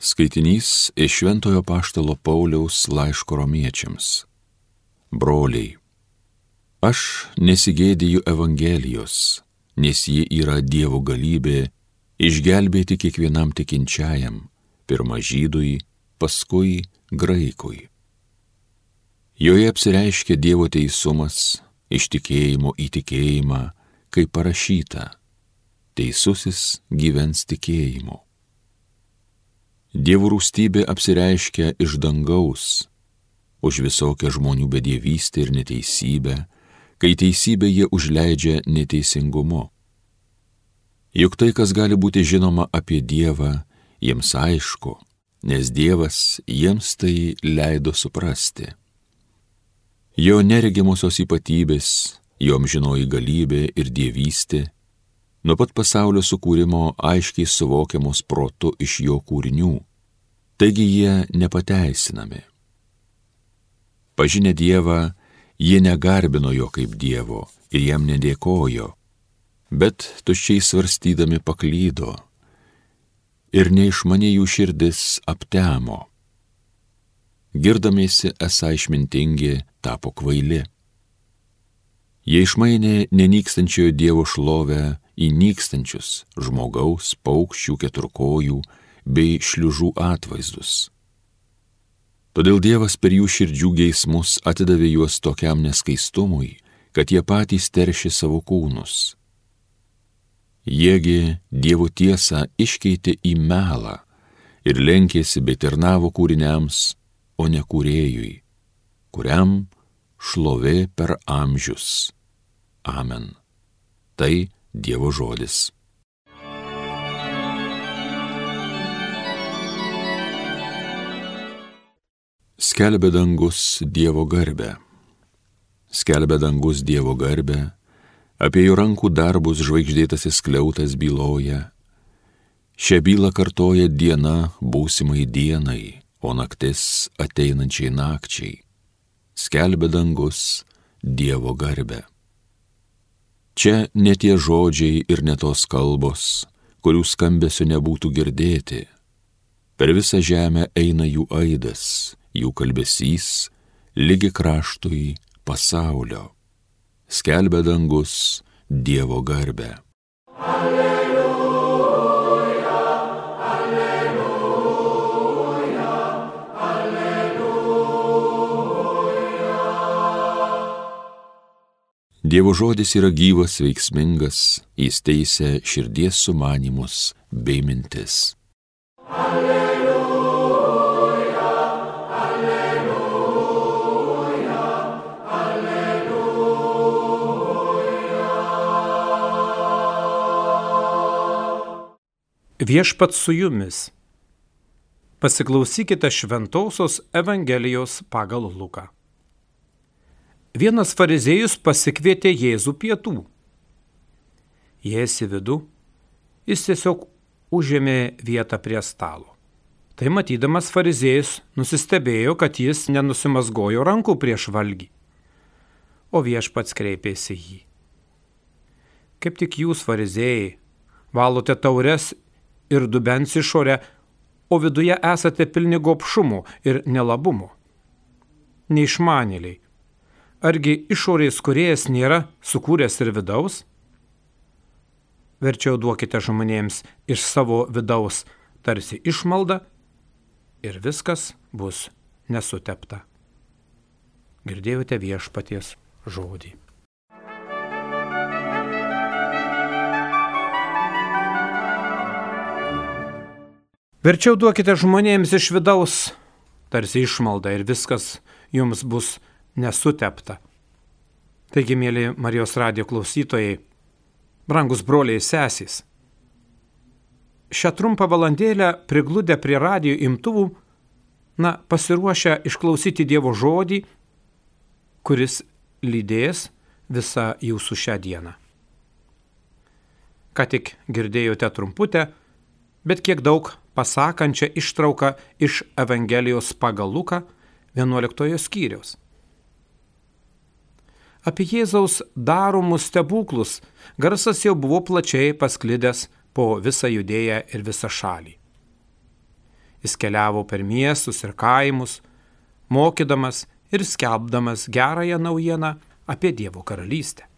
Skaitinys iš Šventojo Apaštalo Pauliaus laiško Romiečiams. Broliai, aš nesigėdiju Evangelijos, nes ji yra Dievo galybė išgelbėti kiekvienam tikinčiajam, pirma žydui, paskui graikui. Joje apsireiškia Dievo teisumas iš tikėjimo į tikėjimą, kaip parašyta, teisusis gyvens tikėjimu. Dievo rūstybė apsireiškia iš dangaus, už visokią žmonių bedievystę ir neteisybę, kai teisybę jie užleidžia neteisingumu. Juk tai, kas gali būti žinoma apie Dievą, jiems aišku, nes Dievas jiems tai leido suprasti. Jo neregimosios ypatybės, jo amžinoji galybė ir dievystė, nuo pat pasaulio sukūrimo aiškiai suvokiamos protu iš jo kūrinių, taigi jie nepateisinami. Pažinę Dievą, jie negarbino jo kaip Dievo ir jam nedėkojo, bet tuščiai svarstydami paklydo ir neišmanė jų širdis aptemo. Girdamiesi esą išmintingi, tapo kvaili. Jie išmainė nenykstančiojo Dievo šlovę į nykstančius žmogaus, paukščių, keturkojų bei šliužų atvaizdus. Todėl Dievas per jų širdžių geismus atidavė juos tokiam neskaistumui, kad jie patys teršė savo kūnus. Jiegi Dievo tiesą iškeitė į melą ir lenkėsi bei tarnavo kūriniams, o ne kūrėjui, kuriam šlovė per amžius. Amen. Tai Dievo žodis. Skelbia dangus Dievo garbę. Skelbia dangus Dievo garbę, apie jo rankų darbus žvaigždėtasis skliautas byloja. Šią bylą kartoja diena būsimai dienai, o naktis ateinančiai nakčiai. Skelbia dangus Dievo garbę. Čia ne tie žodžiai ir ne tos kalbos, kurių skambesio nebūtų girdėti. Per visą žemę eina jų aidas, jų kalbesys, lygi kraštui pasaulio. Skelbia dangus Dievo garbę. Dievo žodis yra gyvas, veiksmingas, jis teisia širdies sumanymus bei mintis. Alleluja, alleluja, alleluja. Viešpats su jumis. Pasiklausykite Šventosios Evangelijos pagal Luką. Vienas fariziejus pasikvietė Jėzų pietų. Įėjęs į vidų, jis tiesiog užėmė vietą prie stalo. Tai matydamas fariziejus nusistebėjo, kad jis nenusimazgojo rankų prieš valgį. O Viešpats kreipėsi jį. Kaip tik jūs, fariziejai, valote taures ir dubens išorę, o viduje esate pilni gobšumo ir nelabumo. Neišmanėliai. Argi išorės kūrėjas nėra sukūręs ir vidaus? Verčiau duokite žmonėms iš savo vidaus tarsi išmaldą ir viskas bus nesutepta. Girdėjote Viešpaties žodį. Verčiau duokite žmonėms iš vidaus tarsi išmaldą ir viskas jums bus nesutepta. Taigi, mėly Marijos radijo klausytojai, brangus broliai ir sesės, šią trumpą valandėlę prigludę prie radijo imtuvų, pasiruošę išklausyti Dievo žodį, kuris lydės visą jūsų šią dieną. Ką tik girdėjote trumputę, bet kiek daug pasakančią ištrauką iš Evangelijos pagal Luką 11 skyriaus. Apie Jėzaus daromus stebuklus garsas jau buvo plačiai pasklidęs po visą Judėją ir visą šalį. Jis keliavo per miestus ir kaimus, mokydamas ir skelbdamas gerąją naujieną apie Dievo karalystę.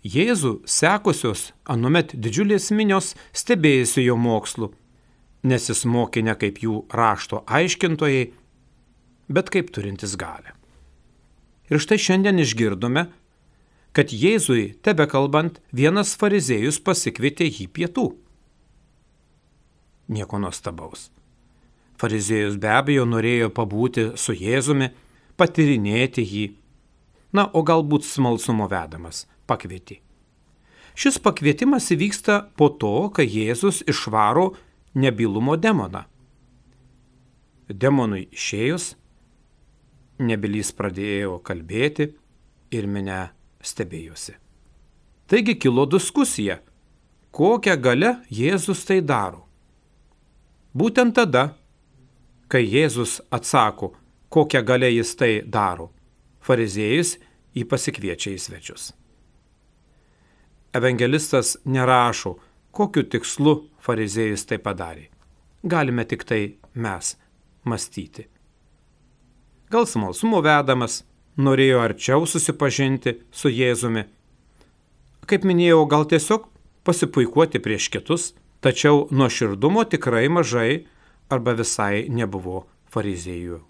Jėzų sekusios anuomet didžiulės minios stebėjosi jo mokslu, nes jis mokė ne kaip jų rašto aiškintojai, bet kaip turintis galią. Ir štai šiandien išgirdome, kad Jėzui tebekalbant vienas fariziejus pasikvietė jį pietų. Nieko nuostabaus. Fariziejus be abejo norėjo pabūti su Jėzumi, patyrinėti jį, o galbūt smalsumo vedamas pakvietė. Šis pakvietimas įvyksta po to, kai Jėzus išvaro nebylumo demoną. Demonui išėjus, nebylys pradėjo kalbėti ir minia stebėjosi. Taigi kilo diskusija, kokią galią Jėzus tai daro. Būtent tada, kai Jėzus atsako, kokią galią jis tai daro, fariziejus jį pasikviečia į svečius. Evangelistas nerašo, kokiu tikslu fariziejus tai padarė. Galime tik tai mes mąstyti. Gal smalsumo vedamas, norėjo arčiau susipažinti su Jėzumi. Kaip minėjau, gal tiesiog pasipuikuoti prieš kitus, tačiau nuoširdumo tikrai mažai arba visai nebuvo fariziejų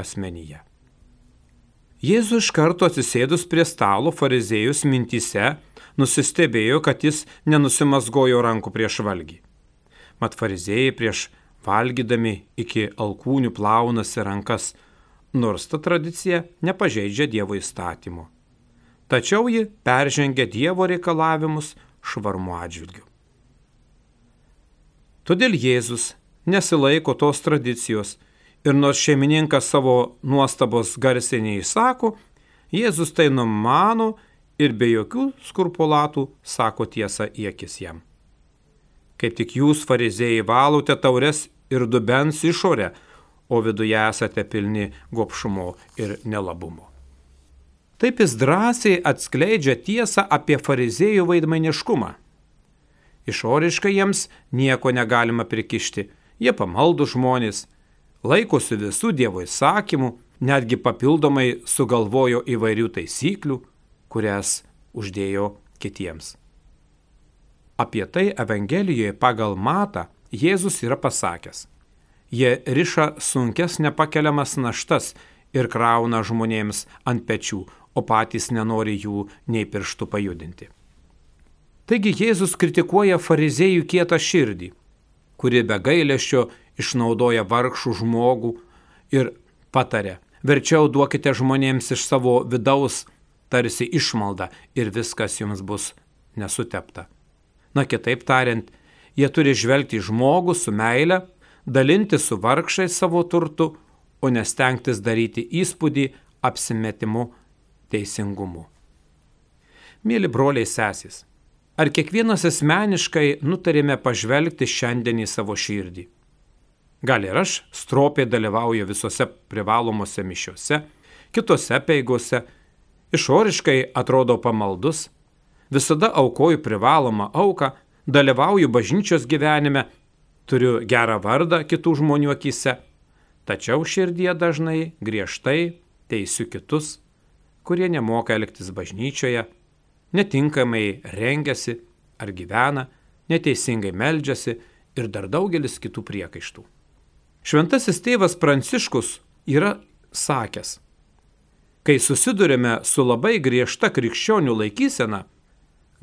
asmenyje. Jėzus iš karto atsisėdus prie stalo fariziejus mintyse nusistebėjo, kad jis nenusimazgojo rankų prieš valgį. Mat fariziejai prieš valgydami iki alkūnių plaunasi rankas, nors ta tradicija nepažeidžia Dievo įstatymo. Tačiau ji peržengia Dievo reikalavimus švarmo atžvilgiu. Todėl Jėzus nesilaiko tos tradicijos ir nors šeimininkas savo nuostabos garsiai neišsako, Jėzus tai numano ir be jokių skrupulatų sako tiesą į akis jam. Kaip tik jūs, fariziejai, valote taures ir dubens išorę, o viduje esate pilni gobšumo ir nelabumo. Taip jis drąsiai atskleidžia tiesą apie fariziejų veidmainiškumą. Išoriškai jiems nieko negalima prikišti, jie pamaldų žmonės, laikosi visų Dievo įsakymų, netgi papildomai sugalvojo įvairių taisyklių, kurias uždėjo kitiems. Apie tai Evangelijoje pagal Matą Jėzus yra pasakęs. Jie riša sunkes nepakeliamas naštas ir krauna žmonėms ant pečių, o patys nenori jų nei pirštų pajudinti. Taigi Jėzus kritikuoja fariziejų kietą širdį, kuri be gailesčio išnaudoja vargšų žmogų ir pataria, verčiau duokite žmonėms iš savo vidaus tarsi išmaldą ir viskas jums bus nesutepta. Kitaip tariant, jie turi žvelgti į žmogų su meile, dalinti su vargšais savo turtu, o nestengtis daryti įspūdį apsimetimu teisingumu. Mėly broliai sesės, ar kiekvienas asmeniškai nutarėme pažvelgti šiandien į savo širdį? Gal ir aš stropiai dalyvauju visose privalomose mišiose, kitose peigose, išoriškai atrodo pamaldus, visada aukoju privalomą auką, dalyvauju bažnyčios gyvenime, turiu gerą vardą kitų žmonių akyse, tačiau širdie dažnai griežtai teisiu kitus, kurie nemoka elgtis bažnyčioje, netinkamai rengiasi ar gyvena, neteisingai meldžiasi ir dar daugelis kitų priekaištų. Šventasis tėvas Pranciškus yra sakęs, kai susidurime su labai griežta krikščionių laikysena,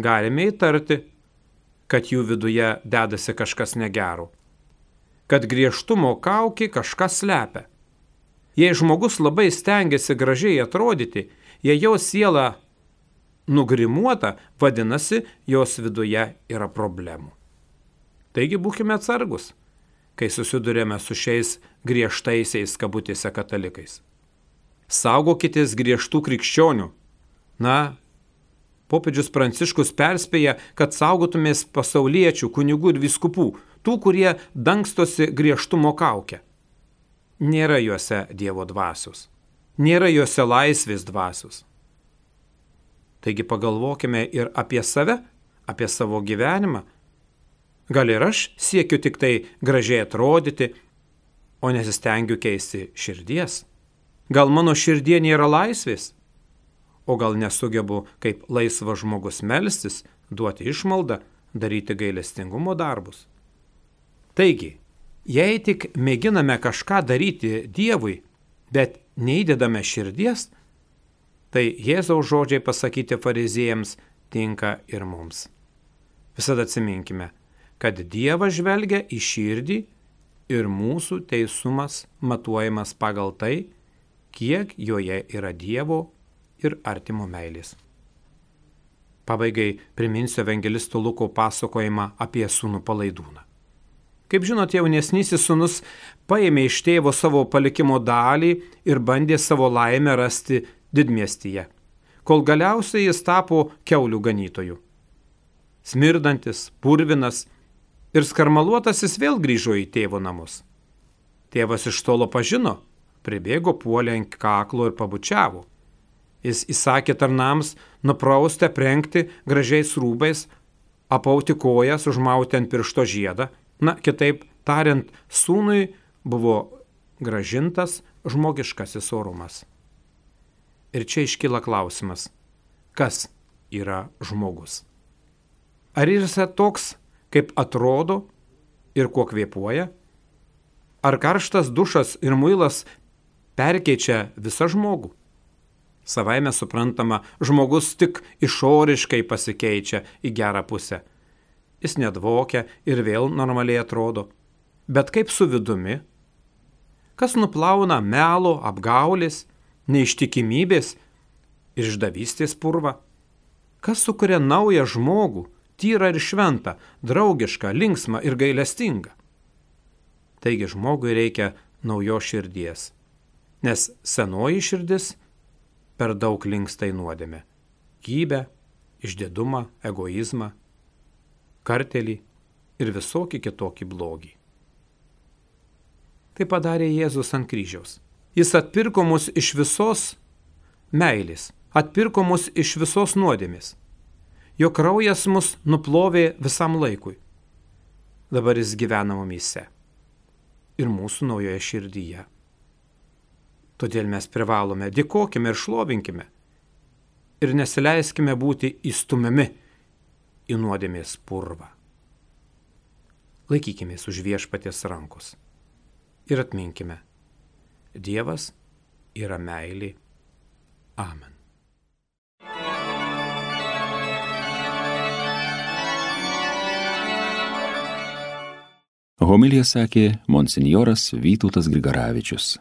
galime įtarti, kad jų viduje dedasi kažkas negero, kad griežtumo kaukė kažką slepia. Jei žmogus labai stengiasi gražiai atrodyti, jei jo siela nugrimuota, vadinasi, jos viduje yra problemų. Taigi būkime atsargus, kai susidurėme su šiais griežtaisiais kabutėse katalikais. Saugokitės griežtų krikščionių. Popiežius Pranciškus perspėja, kad saugotumės pasauliečių, kunigų ir vyskupų, tų, kurie dangstosi griežtumo kaukę. Nėra juose Dievo dvasios, nėra juose laisvės dvasios. Taigi pagalvokime ir apie save, apie savo gyvenimą. Gal ir aš siekiu tik tai gražiai atrodyti, o nesistengiu keisti širdies? Gal mano širdie nėra laisvės? O gal nesugebu kaip laisvas žmogus melstis, duoti išmaldą, daryti gailestingumo darbus? Taigi, jei tik mėginame kažką daryti Dievui, bet neįdedame širdies, tai Jėzaus žodžiai pasakyti fariziejams tinka ir mums. Visada atsiminkime, kad Dievas žvelgia į širdį ir mūsų teisumas matuojamas pagal tai, kiek joje yra Dievo ir artimo meilės. Pabaigai priminsiu evangelisto Luko pasakojimą apie sūnų palaidūną. Kaip žinot, jaunesnysis sūnus paėmė iš tėvo savo palikimo dalį ir bandė savo laimę rasti didmiestyje, kol galiausiai jis tapo kiaulių ganytoju. Smirdantis, purvinas ir skarmaluotasis vėl grįžo į tėvo namus. Tėvas iš tolo pažino, pribėgo, puolė ant kaklo ir pabučiavo. Jis įsakė tarnams nuprausti, aprengti gražiais rūbais, apauti kojas, užmauti ant piršto žiedą. Na, kitaip tariant, sūnui buvo grąžintas žmogiškasis orumas. Ir čia iškyla klausimas, kas yra žmogus? Ar jis toks, kaip atrodo ir kuo kvėpuoja? Ar karštas dušas ir muilas perkeičia visą žmogų? Savaime suprantama, žmogus tik išoriškai pasikeičia į gerą pusę. Jis nedvokia ir vėl normaliai atrodo. Bet kaip su vidumi? Kas nuplauna melo, apgaulės, neištikimybės ir išdavystės purvą? Kas sukuria naują žmogų, tyrą ir šventą, draugišką, linksmą ir gailestingą? Taigi žmogui reikia naujos širdies, nes senoji širdis per daug linksta į nuodėmę, gybę, išdidumą, egoizmą, kartelį ir visokį kitokį blogį. Tai padarė Jėzus ant kryžiaus. Jis atpirko mus iš visos meilės, atpirko mus iš visos nuodėmės. Jo kraujas mus nuplovė visam laikui. Dabar jis gyvena mumyse ir mūsų naujoje širdyje. Todėl mes privalome dėkokime ir šlovinkime ir nesileiskime būti įstumiami į nuodėmės purvą. Laikykimės už Viešpaties rankos ir atminkime, Dievas yra meilė. Amen. Homiliją sakė monsinjoras Vytautas Grigaravičius.